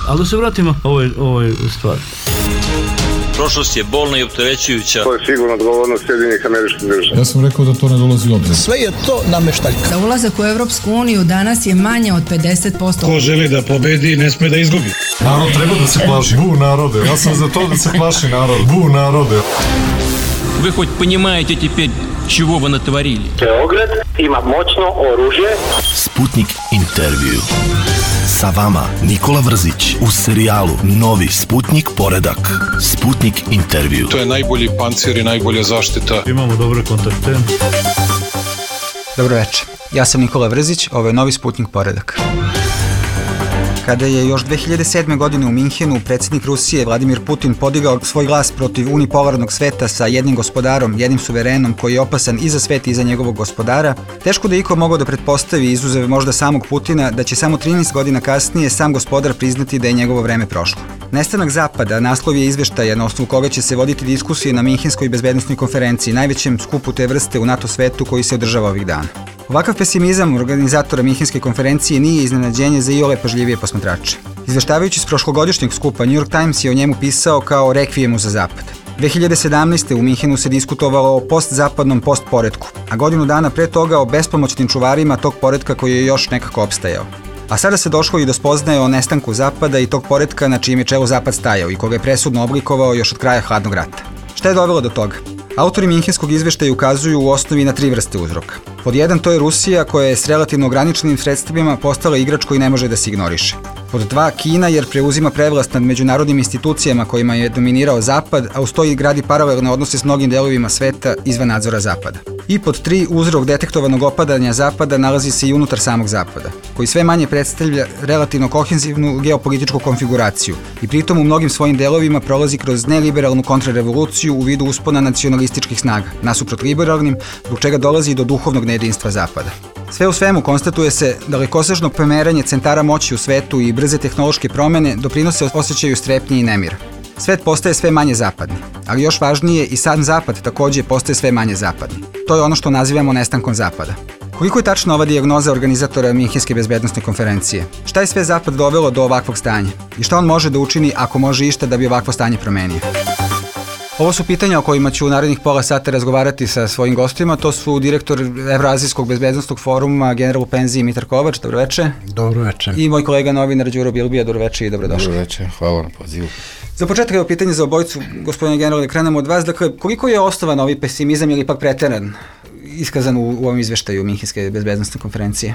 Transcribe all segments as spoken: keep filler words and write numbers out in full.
Ali da se vratimo ovoj, ovoj stvari. Prošlost je bolna i opterećujuća. To je sigurno odgovornost Sjedinjenih Američkih Država. Ja sam rekao da to ne dolazi u obzir. Sve je to nameštaljka. Za ulazak u Evropsku uniju danas je manje od pedeset posto. Ko želi da pobedi, ne sme da izgubi. Narod treba da se plaši. Bu narode. Ja sam za to da se plaši narod. Bu narode. Вы хоть понимаете теперь, чего вы натворили? Beograd ima moćno oružje. Sputnik intervju. Sa vama Nikola Vrzić u serijalu Novi Sputnik poredak. Sputnik intervju. To je najbolji pancir i najbolja zaštita. Imamo dobre kontakte. Dobro večer. Ja sam Nikola Vrzić, ovo je Novi Sputnik poredak. Kada je još dve hiljade sedme. godine u Minhenu predsjednik Rusije Vladimir Putin podigao svoj glas protiv unipolarnog sveta sa jednim gospodarom, jednim suverenom koji je opasan i za svet i za njegovog gospodara, teško da iko mogao da pretpostavi, izuzev možda samog Putina, da će samo trinaest godina kasnije sam gospodar priznati da je njegovo vreme prošlo. Nestanak Zapada, naslov je izveštaja na osnovu koga će se voditi diskusije na Minhenskoj bezbednosnoj konferenciji, najvećem skupu te vrste u NATO svetu koji se održava ovih dana. Ovakav pesimizam organizatora Minhenske konferencije nije iznenađenje za iole pažljivije posmatrače. Izveštavajući s prošlogodišnjeg skupa, New York Times je o njemu pisao kao rekvijemu za Zapad. dve hiljade sedamnaeste. u Minhenu se diskutovalo o postzapadnom postporetku, a godinu dana pre toga o bespomoćnim čuvarima tog poretka koji je još nekako opstajao. A sada se došlo i do spoznaje o nestanku Zapada i tog poretka na čijem je čelu Zapad stajao i koga je presudno oblikovao još od kraja hladnog rata. Šta je dovelo do toga? Autori Minhenskog izveštaja ukazuju u osnovi na tri vrste uzroka. Pod jedan, to je Rusija koja je s relativno ograničenim sredstvima postala igrač koji ne može da se ignoriše. Pod dva, Kina jer preuzima prevlast nad međunarodnim institucijama kojima je dominirao Zapad, a uz to i gradi paralelne odnose s mnogim delovima sveta izvan nadzora Zapada. I pod tri, uzrok detektovanog opadanja Zapada nalazi se i unutar samog Zapada, koji sve manje predstavlja relativno kohezivnu geopolitičku konfiguraciju i pritom u mnogim svojim delovima prolazi kroz neliberalnu kontrarevoluciju u vidu uspona nacionalističkih snaga, nasuprot liberalnim, zbog čega dolazi do duhovnog nejedinstva Zapada. Sve u svemu konstatuje se da dalekosežno pomeranje centara moći u svetu i brze tehnološke promene doprinose osjećaju strepnje i nemira. Svet postaje sve manje zapadni, ali još važnije i sam Zapad takođe postaje sve manje zapadni. To je ono što nazivamo nestankom Zapada. Koliko je tačna ova dijagnoza organizatora Minhenske bezbednosne konferencije? Šta je sve Zapad dovelo do ovakvog stanja? I šta on može da učini ako može išta da bi ovakvo stanje promenio? Ovo su pitanja o kojima ću u narednih pola sata razgovarati sa svojim gostima. To su direktor Evroazijskog bezbednosnog foruma, general u penziji Mitar Kovač. Dobro veče. Dobro veče. I moj kolega novinar Đuro Bilbija. Dobro veče i dobrodošli. Dobro veče, hvala na pozivu. Za početak je pitanje za obojicu, gospodine general, da krenemo od vas. Dakle, koliko je osnovan ovaj pesimizam ili pak preteran iskazan u, u ovom izveštaju Minhenske bezbednosne konferencije?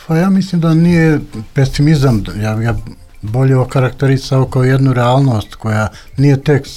Pa ja mislim da nije pesimizam, ja, ja bolje okarakterisao kao jednu realnost koja nije tek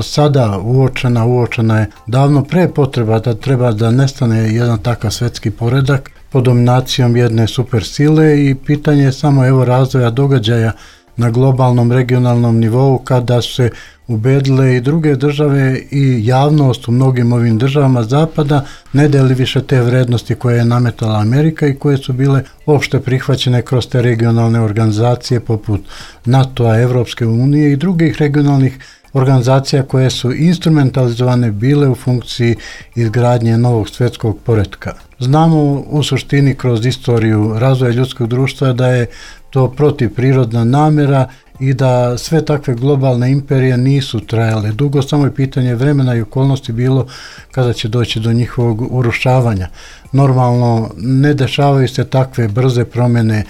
sada uočena, uočena je davno pre potreba da treba da nestane jedan takav svetski poredak pod dominacijom jedne supersile i pitanje je samo evo razvoja događaja na globalnom, regionalnom nivou kada se ubedile i druge države i javnost u mnogim ovim državama Zapada ne deli više te vrednosti koje je nametala Amerika i koje su bile opšte prihvaćene kroz te regionalne organizacije poput NATO-a, Evropske unije i drugih regionalnih organizacija koje su instrumentalizovane bile u funkciji izgradnje novog svetskog poretka. Znamo u suštini kroz istoriju razvoja ljudskog društva da je to protivprirodna namera i da sve takve globalne imperije nisu trajale dugo, samo je pitanje vremena i okolnosti bilo kada će doći do njihovog urušavanja. Normalno ne dešavaju se takve brze promjene e,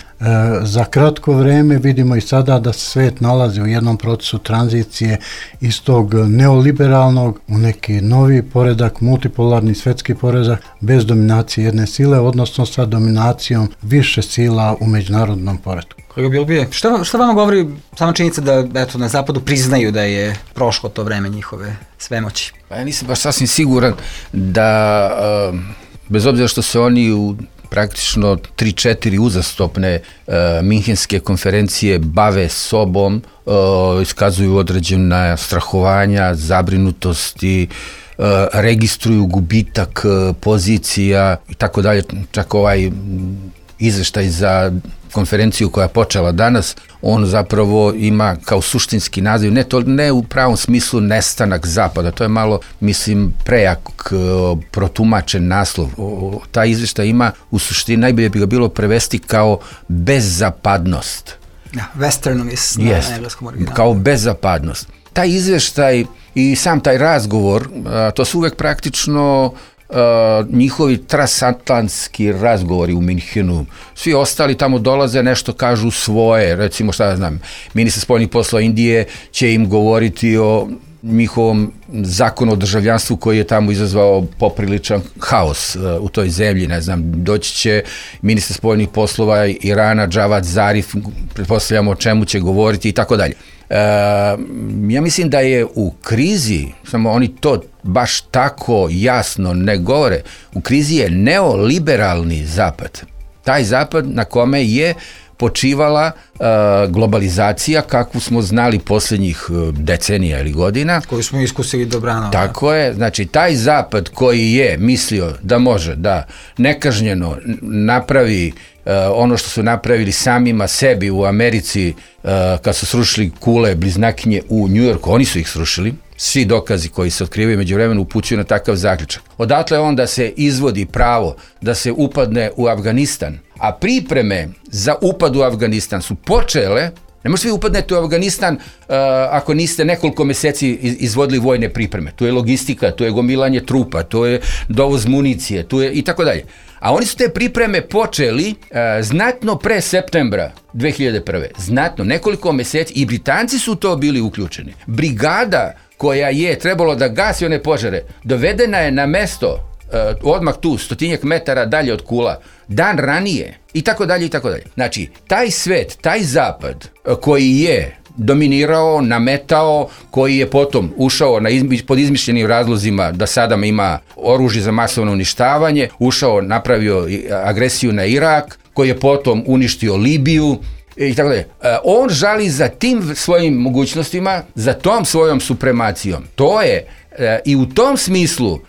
za kratko vreme, vidimo i sada da se svet nalazi u jednom procesu tranzicije iz tog neoliberalnog u neki novi poredak, multipolarni svetski poredak bez dominacije jedne sile, odnosno sa dominacijom više sila u međunarodnom poretku. Kolega Bilbije, šta, šta vama govori sama činjenica da eto, na Zapadu priznaju da je prošlo to vreme njihove svemoći? Pa ja nisam baš sasvim siguran da, uh, bez obzira što se oni u praktično tri četiri uzastopne uh, Minhenske konferencije bave sobom, uh, iskazuju određena strahovanja, zabrinutosti, uh, registruju gubitak uh, pozicija i tako dalje, čak ovaj izveštaj za konferenciju koja je počela danas, on zapravo ima kao suštinski naziv, ne, to, ne u pravom smislu nestanak Zapada, to je malo, mislim, prejak protumačen naslov. O, ta izveštaj ima u suštini, najbolje bi ga bilo prevesti kao bezzapadnost. Ja, westernovis na Jest, engleskom originalu. kao bezzapadnost. Taj izveštaj i sam taj razgovor, a, to su uvek praktično a, njihovi transatlantski razgovori u Minhenu. Svi ostali tamo dolaze, nešto kažu svoje, recimo šta ja znam, ministar spoljnih poslova Indije će im govoriti o njihovom zakonu o državljanstvu koji je tamo izazvao popriličan haos uh, u toj zemlji, ne znam, doći će ministar spoljnih poslova Irana Javad Zarif, pretpostavljamo o čemu će govoriti i tako dalje. Uh, ja mislim da je u krizi, samo oni to baš tako jasno ne govore, u krizi je neoliberalni zapad. Taj zapad na kome je počivala uh, globalizacija kakvu smo znali posljednjih uh, decenija ili godina. Koju smo iskusili dobrano. Tako je, znači taj zapad koji je mislio da može da nekažnjeno napravi uh, ono što su napravili samima sebi u Americi uh, kad su srušili kule bliznakinje u Njujorku, oni su ih srušili. Svi dokazi koji se otkrivaju među vremenu upućuju na takav zaključak. Odatle onda se izvodi pravo da se upadne u Afganistan, a pripreme za upad u Afganistan su počele. Ne možete vi upadnete u Afganistan uh, ako niste nekoliko meseci izvodili vojne pripreme. Tu je logistika, tu je gomilanje trupa, tu je dovoz municije, tu je i tako dalje. A oni su te pripreme počeli uh, znatno pre septembra dve hiljade prve. Znatno, nekoliko meseci, i Britanci su to bili uključeni. Brigada koja je trebalo da gasi one požare, dovedena je na mesto uh, odmah tu, stotinjak metara dalje od Kula, dan ranije, i tako dalje, i tako dalje. Znači, taj svet, taj zapad uh, koji je dominirao, nametao, koji je potom ušao na izmi, pod izmišljenim razlozima da Sadam ima oružje za masovno uništavanje, ušao, napravio agresiju na Irak, koji je potom uništio Libiju, i tako dalje. On žali za tim svojim mogućnostima, za tom svojom supremacijom. To je i u tom smislu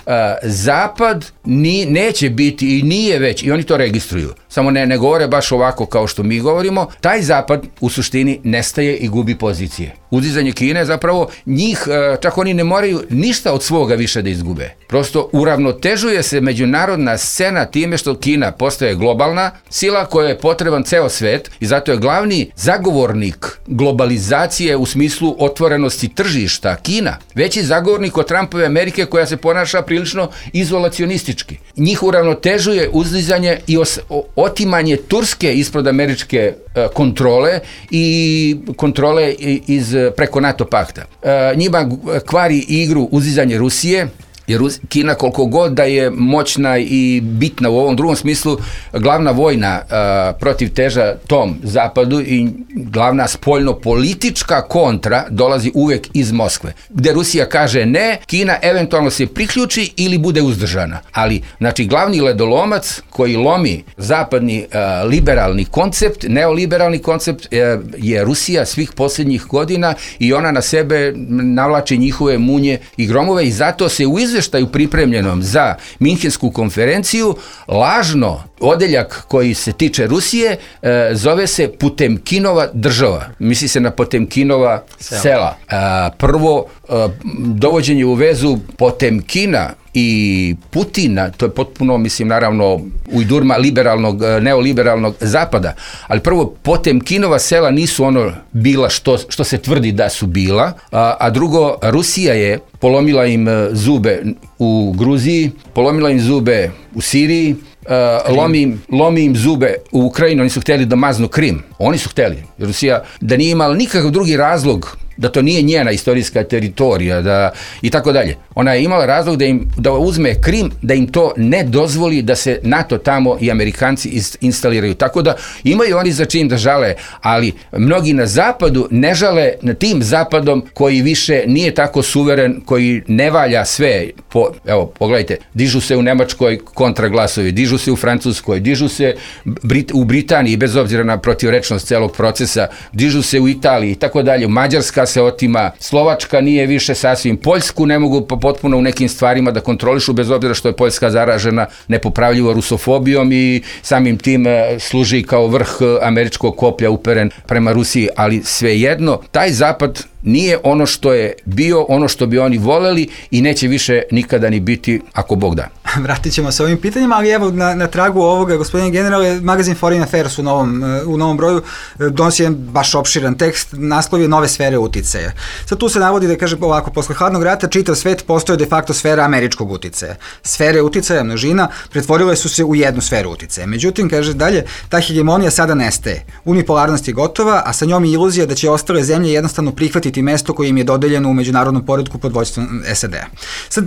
Zapad ni, neće biti i nije već, i oni to registruju, samo ne, ne govore baš ovako kao što mi govorimo, taj Zapad u suštini nestaje i gubi pozicije. Uzdizanje Kine zapravo njih, čak oni ne moraju ništa od svoga više da izgube. Prosto uravnotežuje se međunarodna scena time što Kina postaje globalna sila koja je potreban ceo svet i zato je glavni zagovornik globalizacije u smislu otvorenosti tržišta Kina. Veći zagovornik od Trumpove Amerike koja se ponaša prilično izolacionistički. Njih uravnotežuje uzdizanje i os, o, otimanje Turske ispod američke e, kontrole i kontrole iz preko NATO pakta. E, njima kvari igru uzdizanje Rusije, jer Kina koliko god da je moćna i bitna u ovom drugom smislu, glavna vojna uh, protiv teža tom zapadu i glavna spoljno-politička kontra dolazi uvek iz Moskve. Gde Rusija kaže ne, Kina eventualno se priključi ili bude uzdržana. Ali, znači, glavni ledolomac koji lomi zapadni uh, liberalni koncept, neoliberalni koncept uh, je Rusija svih posljednjih godina i ona na sebe navlači njihove munje i gromove i zato se u izveštaju pripremljenom za Minhensku konferenciju lažno odeljak koji se tiče Rusije e, zove se Potemkinova država. Misli se na Potemkinova sela. sela. E, prvo, e, dovođenje u vezu Potemkina i Putina, to je potpuno, mislim, naravno, ujdurma liberalnog, neoliberalnog zapada, ali prvo, Potemkinova sela nisu ono bila što, što se tvrdi da su bila, a, a drugo, Rusija je polomila im zube u Gruziji, polomila im zube u Siriji, Uh, lomi, im, lomi im zube u Ukrajini, oni su htjeli da maznu Krim. Oni su htjeli. Rusija, da nije imala nikakav drugi razlog da to nije njena istorijska teritorija da, i tako dalje. Ona je imala razlog da im da uzme Krim, da im to ne dozvoli da se NATO tamo i Amerikanci instaliraju. Tako da imaju oni za čim da žale, ali mnogi na zapadu ne žale na tim zapadom koji više nije tako suveren, koji ne valja sve. Po, evo, pogledajte, dižu se u Nemačkoj kontraglasovi, dižu se u Francuskoj, dižu se Brit, u Britaniji, bez obzira na protivrečnost celog procesa, dižu se u Italiji i tako dalje. Mađarska se otima, Slovačka nije više sasvim, Poljsku ne mogu potpuno u nekim stvarima da kontrolišu, bez obzira što je Poljska zaražena nepopravljivo rusofobijom i samim tim služi kao vrh američkog koplja uperen prema Rusiji, ali svejedno, taj zapad nije ono što je bio, ono što bi oni voleli i neće više nikada ni biti ako Bog da. Vratit ćemo se ovim pitanjima, ali evo na, na tragu ovoga, gospodine generale, magazin Foreign Affairs u novom, u novom broju donosi jedan baš opširan tekst, naslov je Nove sfere uticaja. Sad tu se navodi da kaže ovako, posle hladnog rata čitav svet postoje de facto sfera američkog uticaja. Sfere uticaja, množina, pretvorile su se u jednu sferu uticaja. Međutim, kaže dalje, ta hegemonija sada nestaje. Unipolarnost je gotova, a sa njom je iluzija da će ostale zemlje jednostavno prihvatiti mesto koje im je dodeljeno u međunarodnom poretku pod vođstvom S A D-a. Sad,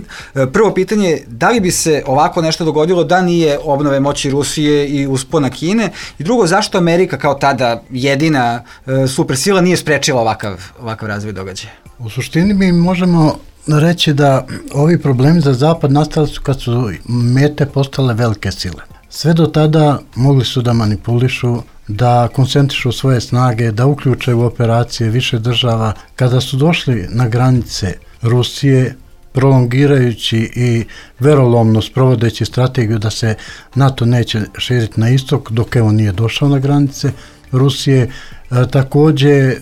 prvo pitanje je, da li bi se ovako nešto dogodilo da nije obnove moći Rusije i uspona Kine? I drugo, zašto Amerika kao tada jedina e, supersila nije sprečila ovakav, ovakav razvoj događaja? U suštini mi možemo reći da ovi problemi za Zapad nastali su kad su mete postale velike sile. Sve do tada mogli su da manipulišu, da koncentrišu svoje snage, da uključe u operacije više država. Kada su došli na granice Rusije, prolongirajući i verolomno sprovodeći strategiju da se NATO neće širiti na istok, dok evo nije došao na granice Rusije, takođe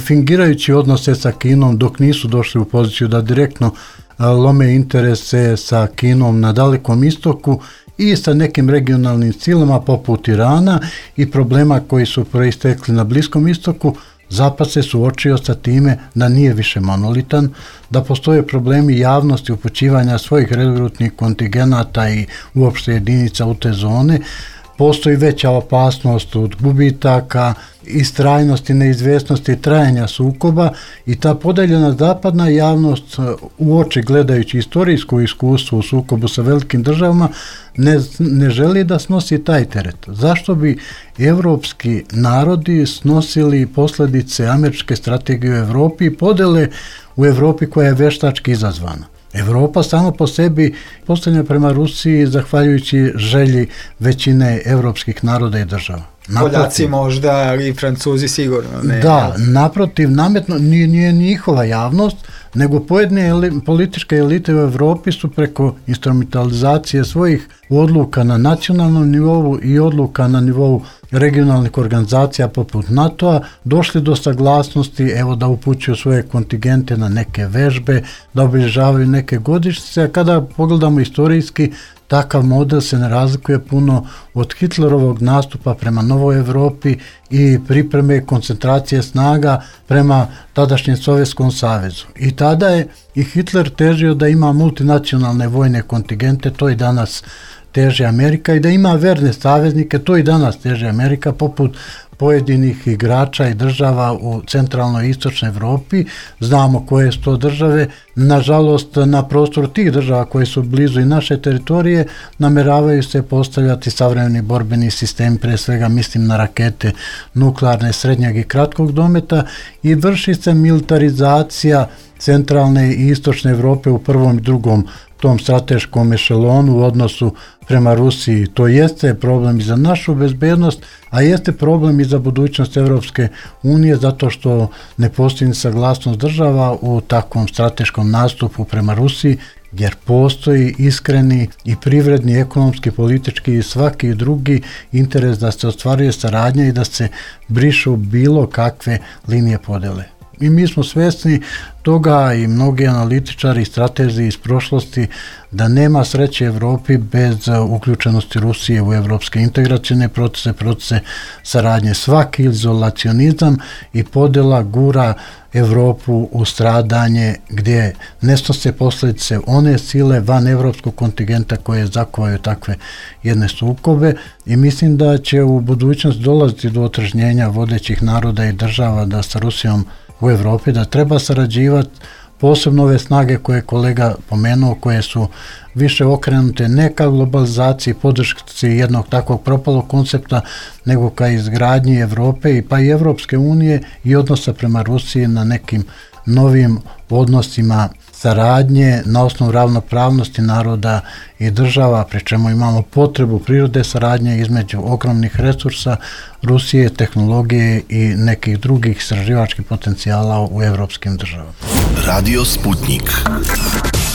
fingirajući odnose sa Kinom dok nisu došli u poziciju da direktno lome interese sa Kinom na Dalekom istoku i sa nekim regionalnim silama poput Irana i problema koji su proistekli na Bliskom istoku, Zapad se suočio sa time da nije više monolitan, da postoje problemi javnosti upućivanja svojih regrutnih kontingenata i uopšte jedinica u te zone, postoji veća opasnost od gubitaka, istrajnosti, neizvesnosti, trajanja sukoba i ta podeljena zapadna javnost u oči gledajući istorijsko iskustvo u sukobu sa velikim državama ne, ne želi da snosi taj teret. Zašto bi evropski narodi snosili posledice američke strategije u Evropi i podele u Evropi koja je veštački izazvana? Evropa samo po sebi postavlja prema Rusiji zahvaljujući želji većine evropskih naroda i država. Poljaci možda, ali i Francuzi sigurno. Ne, da, naprotiv, nametno, nije, nije njihova javnost, nego pojedine eli, političke elite u Evropi su preko instrumentalizacije svojih odluka na nacionalnom nivou i odluka na nivou regionalnih organizacija poput NATO-a došli do saglasnosti, evo da upućuju svoje kontingente na neke vežbe, da obilježavaju neke godišnjice, a kada pogledamo istorijski, takav model se ne razlikuje puno od Hitlerovog nastupa prema Novoj Evropi i pripreme koncentracije snaga prema tadašnjem Sovjetskom savezu. I tada je i Hitler težio da ima multinacionalne vojne kontingente, to i danas teže Amerika, i da ima verne saveznike, to i danas teže Amerika, poput pojedinih igrača i država u centralnoj i istočnoj Evropi. Znamo koje su to države. Nažalost, na prostoru tih država koje su blizu i naše teritorije nameravaju se postavljati savremeni borbeni sistemi, pre svega mislim na rakete nuklearne, srednjeg i kratkog dometa, i vrši se militarizacija centralne i istočne Evrope u prvom i drugom tom strateškom ešelonu u odnosu prema Rusiji. To jeste problem i za našu bezbednost, a jeste problem i za budućnost Evropske unije, zato što ne postoji saglasnost država u takvom strateškom nastupu prema Rusiji, jer postoji iskreni i privredni, ekonomski, politički i svaki drugi interes da se ostvaruje saradnja i da se brišu bilo kakve linije podele. I mi smo svesni toga, i mnogi analitičari i stratezi iz prošlosti, da nema sreće Evropi bez uključenosti Rusije u evropske integracione procese, procese saradnje. Svaki izolacionizam i podela gura Evropu u stradanje gdje ne snose posljedice one sile van evropskog kontingenta koje zakovaju takve jedne sukobe, i mislim da će u budućnosti dolaziti do otržnjenja vodećih naroda i država da sa Rusijom u Evropi, da treba sarađivati, posebno ove snage koje je kolega pomenuo, koje su više okrenute ne ka globalizaciji, podršci jednog takvog propalog koncepta, nego ka izgradnji Evrope i pa i Evropske unije i odnosa prema Rusiji na nekim novim odnosima saradnje na osnovu ravnopravnosti naroda i država, pri čemu imamo potrebu prirode saradnje između ogromnih resursa Rusije, tehnologije i nekih drugih istraživačkih potencijala u evropskim državama. Radio Sputnik.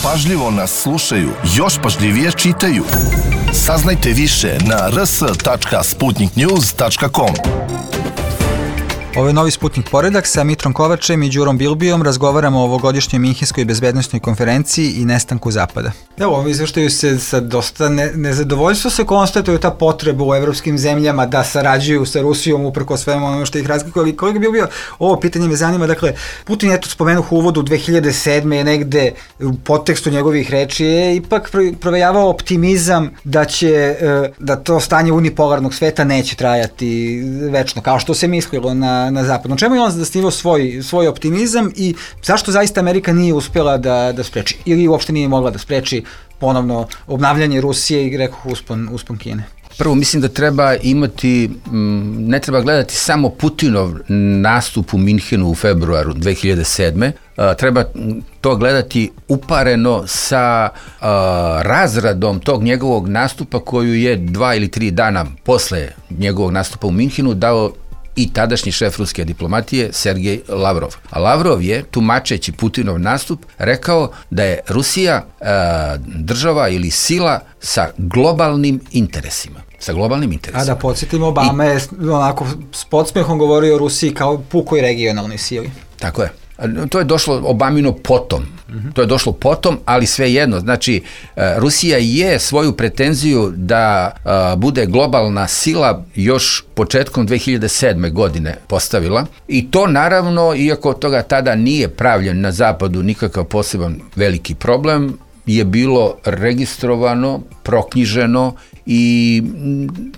Pažljivo nas slušaju, još pažljivije čitaju. Saznajte više na r s tačka sputnik news tačka com. Ovo je novi Sputnik Poredak sa Mitrom Kovačem i Đurom Bilbijom. Razgovaramo o ovogodišnjoj Minhenskoj bezbednosnoj konferenciji i nestanku Zapada. Evo, ovom izveštaju se sa dosta ne, nezadovoljstvo se konstatuje ta potreba u evropskim zemljama da sarađuju sa Rusijom uprko svemu ono što ih razlikuje. Ali koliko bi bio ovo pitanje me zanima, dakle, Putin je to spomenuo u uvodu dve hiljade sedme je negde u podtekstu njegovih reči je ipak provejavao optimizam da će, da to stanje unipolarnog sveta neće trajati večno, kao što se mislilo na na zapadu. Čemu je on zasnivao svoj, svoj optimizam i zašto zaista Amerika nije uspjela da, da spreči ili uopšte nije mogla da spreči ponovno obnavljanje Rusije i rekoh uspon, uspon Kine? Prvo, mislim da treba imati, ne treba gledati samo Putinov nastup u Minhenu u februaru dve hiljade sedme. Treba to gledati upareno sa uh, razradom tog njegovog nastupa koju je dva ili tri dana posle njegovog nastupa u Minhenu dao i tadašnji šef ruske diplomatije Sergej Lavrov. A Lavrov je, tumačeći Putinov nastup, rekao da je Rusija e, država ili sila sa globalnim interesima. Sa globalnim interesima. A da podsjetimo, Obama I, je onako s podsmehom govorio o Rusiji kao pukoj regionalnoj sili. Tako je. To je došlo Obamino potom. Mm-hmm. To je došlo potom, ali svejedno. Znači, Rusija je svoju pretenziju da a, bude globalna sila još početkom dve hiljade sedme godine postavila. I to naravno, iako toga tada nije pravljen na zapadu nikakav poseban veliki problem, je bilo registrovano, proknjiženo i,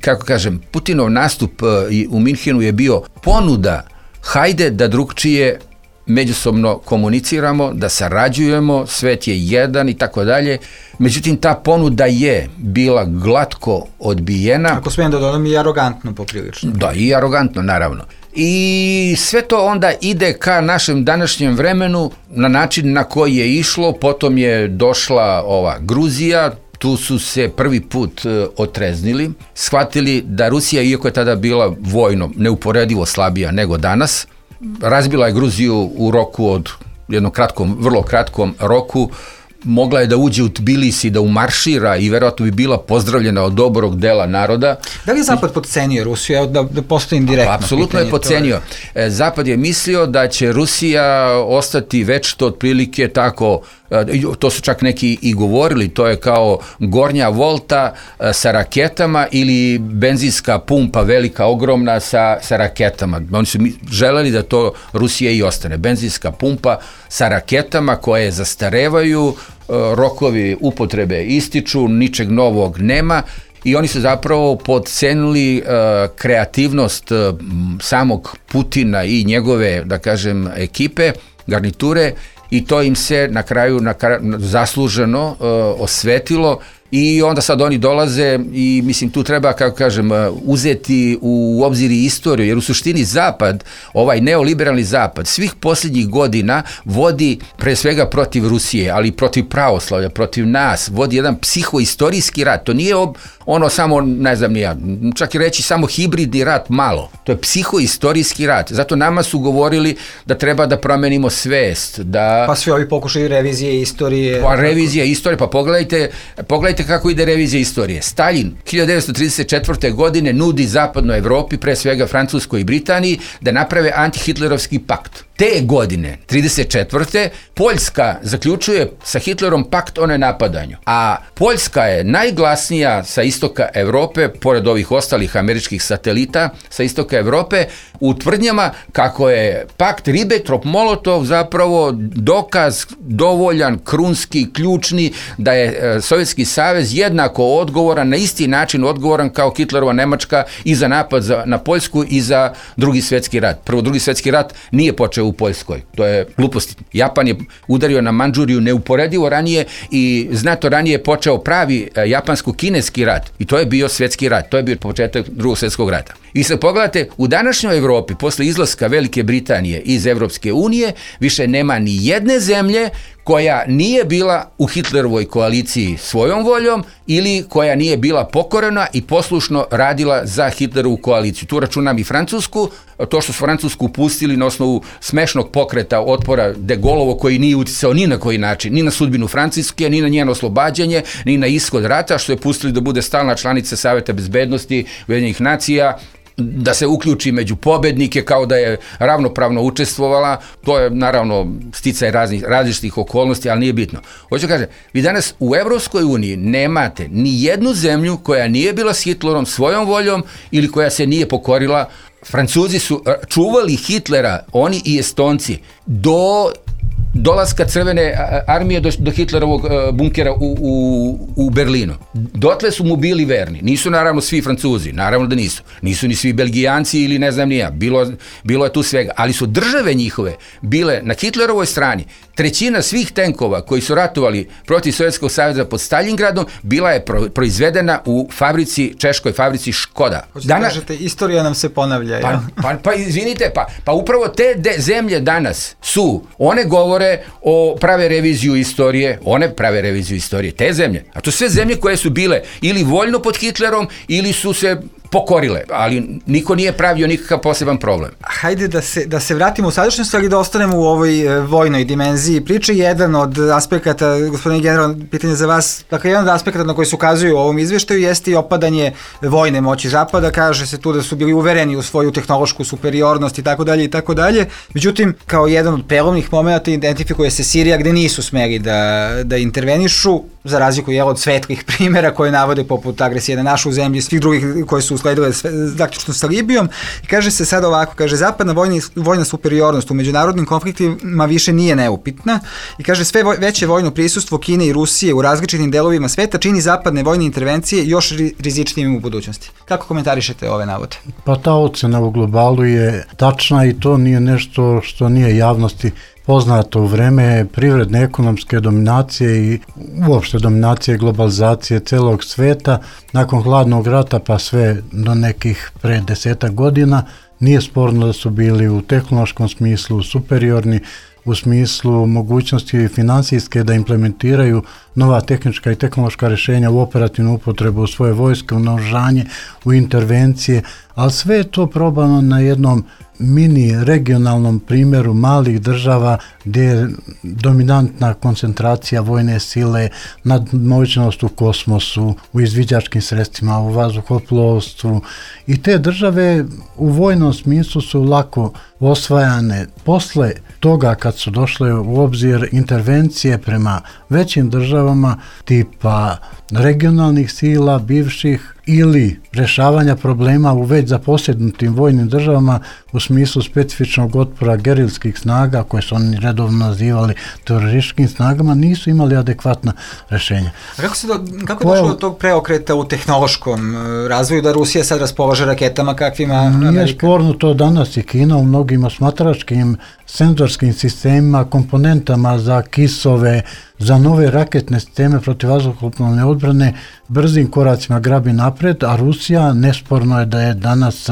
kako kažem, Putinov nastup u Minhenu je bio ponuda, hajde da drugčije međusobno komuniciramo, da sarađujemo, svet je jedan i tako dalje. Međutim, ta ponuda je bila glatko odbijena. Ako smijem da dodam, i arogantno poprilično. Da, i arogantno, naravno. I sve to onda ide ka našem današnjem vremenu na način na koji je išlo, potom je došla ova Gruzija, tu su se prvi put e, otreznili, shvatili da Rusija, iako je tada bila vojno neuporedivo slabija nego danas, razbila je Gruziju u roku od jednom kratkom, vrlo kratkom roku, mogla je da uđe u Tbilisi, da umaršira i verovatno bi bila pozdravljena od dobrog dela naroda. Da li je Zapad podcenio Rusiju? Da, da postavim direktno. Apsolutno je podcenio. Je. Zapad je mislio da će Rusija ostati večito otprilike tako, to su čak neki i govorili, to je kao gornja volta sa raketama ili benzinska pumpa velika, ogromna sa, sa raketama. Oni su želeli da to Rusija i ostane. Benzinska pumpa sa raketama koje zastarevaju, rokovi upotrebe ističu, ničeg novog nema i oni su zapravo podcenili uh, kreativnost uh, samog Putina i njegove, da kažem, ekipe, garniture i to im se na kraju na kraju, zasluženo uh, osvetilo i onda sad oni dolaze i mislim tu treba, kako kažem, uzeti u obzir i istoriju, jer u suštini Zapad, ovaj neoliberalni Zapad, svih posljednjih godina vodi pre svega protiv Rusije, ali protiv pravoslavlja, protiv nas, vodi jedan psihoistorijski rat. To nije ob, ono samo, ne znam ni ja, čak i reći samo hibridni rat malo. To je psihoistorijski rat. Zato nama su govorili da treba da promenimo svest. Da... Pa svi ovi pokušaju revizije istorije. Pa revizija istorije, pa pogledajte, pogledajte kako ide revizija istorije. Stalin hiljadu devetsto trideset četvrte. godine nudi zapadnoj Evropi, pre svega Francuskoj i Britaniji, da naprave antihitlerovski pakt. Te godine, trideset četvrte. Poljska zaključuje sa Hitlerom pakt o nenapadanju. A Poljska je najglasnija sa istoka Evrope, pored ovih ostalih američkih satelita sa istoka Evrope, u tvrdnjama kako je pakt Ribbentrop-Molotov zapravo dokaz dovoljan, krunski, ključni, da je e, Sovjetski savez jednako odgovoran, na isti način odgovoran kao Hitlerova Nemačka i za napad za, na Poljsku i za drugi svjetski rat. Prvo, drugi svjetski rat nije počeo u Poljskoj. To je glupost. Japan je udario na Mandžuriju neuporedivo ranije i znato ranije je počeo pravi e, japansko-kineski rat. I to je bio svjetski rat. To je bio početak drugog svjetskog rata. I sad pogledate, u današnjoj Evropi, posle izlaska Velike Britanije iz Evropske unije, više nema ni jedne zemlje koja nije bila u Hitlerovoj koaliciji svojom voljom ili koja nije bila pokorena i poslušno radila za Hitlerovu koaliciju. Tu računam i Francusku, to što su Francusku pustili na osnovu smešnog pokreta otpora de Gaulleovog koji nije uticao ni na koji način, ni na sudbinu Francuske, ni na njeno oslobađanje, ni na ishod rata, što je pustili da bude stalna članica Saveta bezbednosti Ujedinjenih nacija, da se uključi među pobednike kao da je ravnopravno učestvovala, to je naravno sticaj raznih, različitih okolnosti, ali nije bitno. Hoću kažem, vi danas u Evropskoj uniji nemate ni jednu zemlju koja nije bila s Hitlerom svojom voljom ili koja se nije pokorila. Francuzi su čuvali Hitlera, oni i Estonci, do dolaska Crvene armije do, do Hitlerovog bunkera u, u, u Berlinu. Dotle su mu bili verni. Nisu naravno svi Francuzi, naravno da nisu. Nisu ni svi Belgijanci ili ne znam nija. Bilo, bilo je tu svega. Ali su države njihove bile na Hitlerovoj strani. Trećina svih tenkova koji su ratovali protiv Sovjetskog saveza pod Stalingradom bila je pro, proizvedena u fabrici, češkoj fabrici Škoda. Hoćete da kažete, istorija nam se ponavlja. Pa, pa, pa izvinite, pa, pa upravo te de, zemlje danas su, one govore o prave reviziju istorije, one prave reviziju istorije, te zemlje. A to sve zemlje koje su bile ili voljno pod Hitlerom ili su se pokorile, ali niko nije pravio nikakav poseban problem. Hajde da se, da se vratimo u sadašnjost, ali da ostanemo u ovoj e, vojnoj dimenziji priče. Jedan od aspekata, gospodine general, pitanje za vas, dakle, jedan od aspekata na koji se ukazuju u ovom izveštaju jeste i opadanje vojne moći Zapada. Kaže se tu da su bili uvereni u svoju tehnološku superiornost i tako dalje i tako dalje. Međutim, kao jedan od prelomnih momenta identifikuje se Sirija gde nisu smeli da, da intervenišu, za razliku je od svetlih primjera koje navode poput agresije na našu zemlju i svih drugih koje su usledile zaključno sa Libijom. I kaže se sad ovako, kaže, zapadna vojna, vojna superiornost u međunarodnim konfliktima više nije neupitna i kaže sve voj, veće vojno prisustvo Kine i Rusije u različitim delovima sveta čini zapadne vojne intervencije još rizičnijim u budućnosti. Kako komentarišete ove navode? Pa ta ocena u globalu je tačna i to nije nešto što nije javnosti poznato u vreme privredne ekonomske dominacije i uopšte dominacije globalizacije celog sveta. Nakon hladnog rata pa sve do nekih pre desetak godina nije sporno da su bili u tehnološkom smislu superiorni, u smislu mogućnosti finansijske da implementiraju nova tehnička i tehnološka rješenja u operativnu upotrebu u svoje vojske, u naoružanje, u intervencije, ali sve je to probano na jednom mini regionalnom primjeru malih država gdje je dominantna koncentracija vojne sile, nadmoćnost u kosmosu, u izviđačkim sredstvima, u vazduhoplovstvu i te države u vojnom smislu su lako osvajane. Posle toga kad su došle u obzir intervencije prema većim državama tipa regionalnih sila, bivših ili rješavanja problema u već zaposjednutim vojnim državama u smislu specifičnog otpora gerilskih snaga koje su oni redovno nazivali terorističkim snagama, nisu imali adekvatna rješenja. A kako, se do, kako je došlo do tog preokreta u tehnološkom razvoju da Rusija sad raspolaže raketama kakvima Amerika? Nije sporno to danas i Kina u mnogim osmatračkim senzorskim sistemima, komponentama za kisove, za nove raketne sisteme protivvazduhoplovne odbrane brzim koracima grabi napred, a Rusija nesporno je da je danas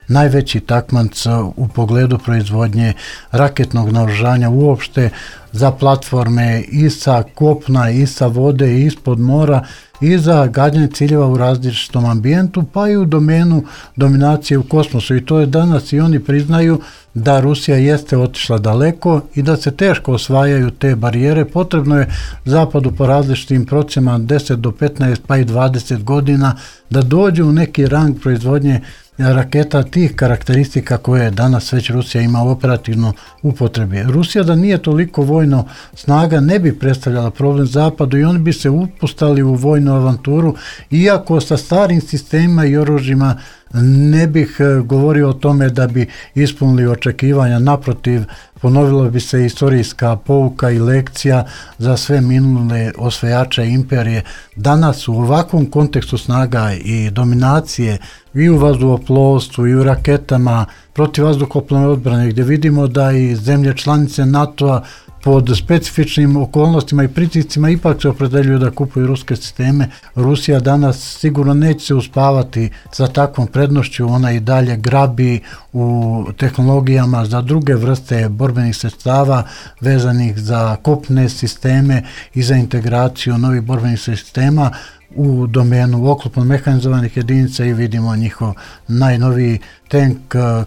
najveći takmac u pogledu proizvodnje raketnog naoružanja uopšte za platforme i sa kopna, i sa vode, i ispod mora, i za gađanje ciljeva u različitom ambijentu, pa i u domenu dominacije u kosmosu. I to je danas i oni priznaju da Rusija jeste otišla daleko i da se teško osvajaju te barijere. Potrebno je Zapadu po različitim procjenama deset do petnaest pa i dvadeset godina da dođe u neki rang proizvodnje raketa tih karakteristika koje danas već Rusija ima u operativno upotrebi. Rusija da nije toliko vojno snaga ne bi predstavljala problem Zapadu i oni bi se upustali u vojnu avanturu, iako sa starim sistemima i oružjima ne bih govorio o tome da bi ispunili očekivanja, naprotiv, ponovila bi se istorijska pouka i lekcija za sve minule osvajače imperije. Danas u ovakvom kontekstu snaga i dominacije i u vazduhoplovstvu i u raketama protivvazduhoplovne odbrane, gdje vidimo da i zemlje članice NATO-a pod specifičnim okolnostima i pritiscima ipak se opredeljuju da kupuju ruske sisteme. Rusija danas sigurno neće se uspavati sa takvom prednošću, ona i dalje grabi u tehnologijama za druge vrste borbenih sredstava vezanih za kopne sisteme i za integraciju novih borbenih sistema u domenu oklopno mehanizovanih jedinica i vidimo njihov najnoviji tank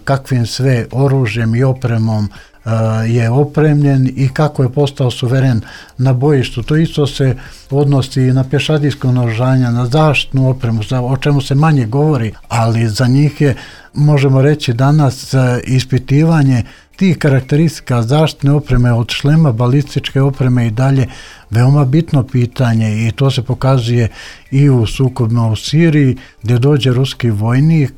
kakvim sve oružjem i opremom je opremljen i kako je postao suveren na bojištu. To isto se odnosi na pješadijsko naoružanje, na zaštitnu opremu, o čemu se manje govori, ali za njih je možemo reći danas ispitivanje tih karakteristika zaštitne opreme od šlema, balističke opreme i dalje veoma bitno pitanje i to se pokazuje i u sukobima u Siriji gdje dođe ruski vojnik,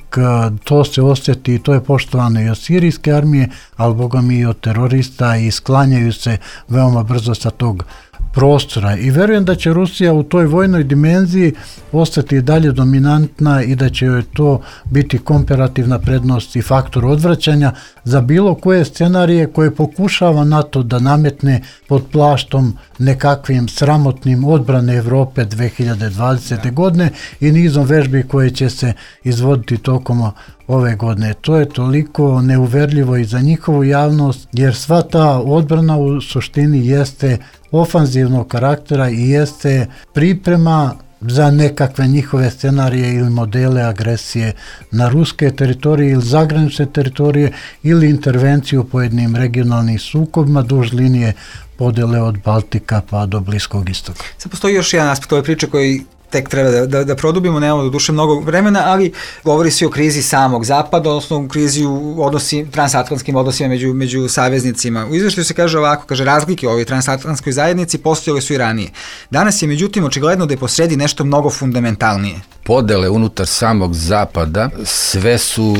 to se osjeti i to je poštovano i od sirijske armije, ali boga mi i od terorista i sklanjaju se veoma brzo sa tog prostora i verujem da će Rusija u toj vojnoj dimenziji ostati dalje dominantna i da će joj to biti komparativna prednost i faktor odvraćanja za bilo koje scenarije koje pokušava NATO da nametne pod plaštom nekakvim sramotnim odbrane Evrope dve hiljade dvadesete. godine i nizom vežbi koje će se izvoditi tokom ove godine. To je toliko neuverljivo i za njihovu javnost, jer sva ta odbrana u suštini jeste ofanzivnog karaktera i jeste priprema za nekakve njihove scenarije ili modele agresije na ruske teritorije ili zagranične teritorije ili intervenciju u pojedinim regionalnim sukobima duž linije podele od Baltika pa do Bliskog istoka. Sad postoji još jedan aspekt ove priče koji tek treba da, da, da produbimo, nemamo do duše mnogo vremena, ali govori se o krizi samog zapada, odnosno u krizi u odnosi, transatlantskim odnosima među, među saveznicima. U izveštaju se kaže ovako, kaže razlike u ovoj transatlantskoj zajednici postojale su i ranije. Danas je međutim očigledno da je posredi nešto mnogo fundamentalnije. Podele unutar samog zapada sve su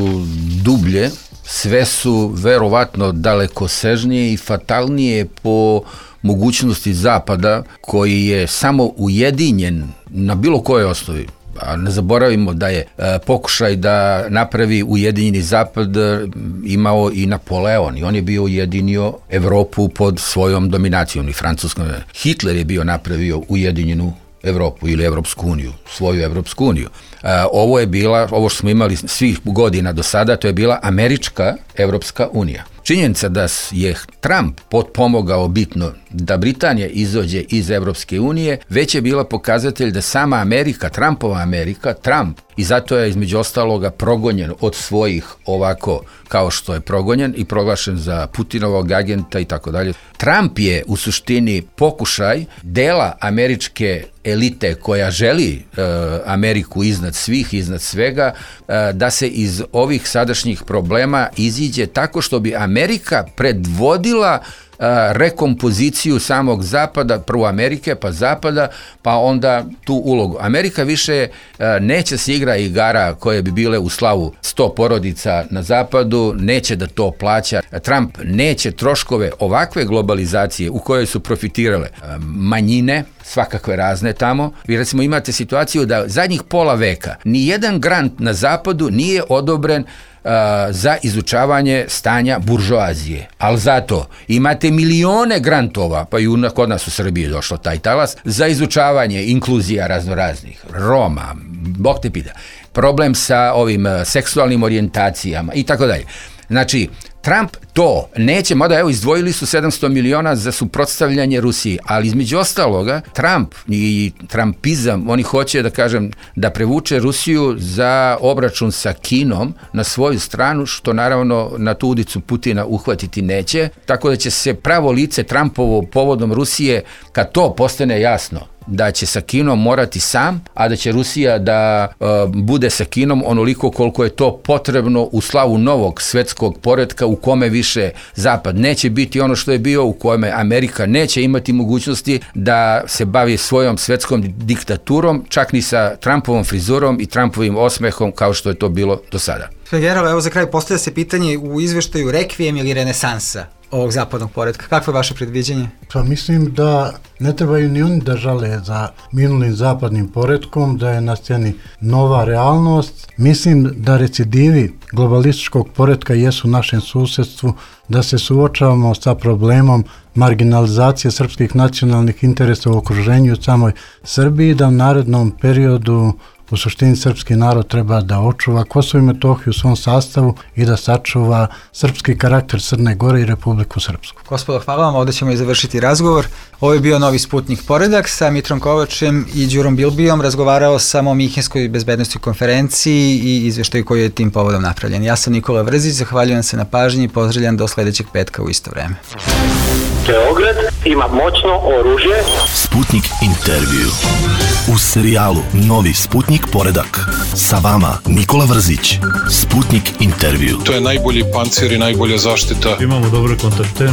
dublje, sve su verovatno dalekosežnije i fatalnije po mogućnosti zapada koji je samo ujedinjen na bilo kojoj osnovi. A ne zaboravimo da je e, pokušaj da napravi ujedinjeni zapad e, imao i Napoleon i on je bio ujedinio Evropu pod svojom dominacijom i Francuskom. Hitler je bio napravio ujedinjenu Evropu ili Evropsku uniju, svoju Evropsku uniju. E, ovo je bila, ovo što smo imali svih godina do sada, to je bila Američka Evropska unija. Činjenica da je Trump potpomogao bitno da Britanija izađe iz Evropske unije, već je bila pokazatelj da sama Amerika, Trumpova Amerika, Trump, i zato je između ostaloga progonjen od svojih ovako kao što je progonjen i proglašen za Putinovog agenta i tako dalje. Trump je u suštini pokušaj dela američke elite koja želi e, Ameriku iznad svih, iznad svega, e, da se iz ovih sadašnjih problema iziđe tako što bi Amerika predvodila rekompoziciju samog zapada, prvo Amerike, pa zapada, pa onda tu ulogu. Amerika više neće se igra igara koje bi bile u slavu sto porodica na zapadu, neće da to plaća. Trump neće troškove ovakve globalizacije u kojoj su profitirale manjine, svakakve razne tamo. Vi recimo imate situaciju da zadnjih pola veka ni jedan grant na zapadu nije odobren uh, za izučavanje stanja buržoazije. Ali zato imate milione grantova, pa i kod nas u Srbiji došlo taj talas, za izučavanje inkluzija raznoraznih, Roma, Bog te pita, problem sa ovim uh, seksualnim orijentacijama i tako dalje. Znači, Trump to neće, mada evo izdvojili su sedamsto miliona za suprotstavljanje Rusiji, ali između ostaloga Trump i Trumpizam, oni hoće da kažem da prevuče Rusiju za obračun sa Kinom na svoju stranu, što naravno na tu udicu Putina uhvatiti neće, tako da će se pravo lice Trumpovo povodom Rusije, kad to postane jasno, da će sa Kinom morati sam, a da će Rusija da uh, bude sa Kinom onoliko koliko je to potrebno u slavu novog svetskog poretka u kome više Zapad neće biti ono što je bio, u kome Amerika neće imati mogućnosti da se bavi svojom svetskom diktaturom, čak ni sa Trumpovom frizurom i Trumpovim osmehom kao što je to bilo do sada. General, evo za kraj postavlja se pitanje u izveštaju rekvijem ili renesansa ovog zapadnog poretka. Kakvo je vaše predviđenje? Pa mislim da ne trebaju ni oni da žale za minulim zapadnim poretkom, da je na sceni nova realnost. Mislim da recidivi globalističkog poretka jesu u našem susjedstvu, da se suočavamo sa problemom marginalizacije srpskih nacionalnih interesa u okruženju u samoj Srbiji, da u narednom periodu u suštini srpski narod treba da očuva Kosovo i Metohiju u svom sastavu i da sačuva srpski karakter Crne Gore i Republiku Srpsku. Gospodo, hvala vam, ovdje ćemo i završiti razgovor. Ovo je bio Novi Sputnik Poredak sa Mitrom Kovačem i Đurom Bilbijom. Razgovarao sam o Minhenskoj bezbednostnoj konferenciji i izveštaju koji je tim povodom napravljen. Ja sam Nikola Vrzić, zahvaljujem se na pažnji i pozdravljam do sledećeg petka u isto vreme. Beograd ima moćno oružje. Sputnik intervju. U serijalu Novi Sputnik poredak. Sa vama Nikola Vrzić. Sputnik intervju. To je najbolji pancir i najbolja zaštita. Imamo dobre kontakte.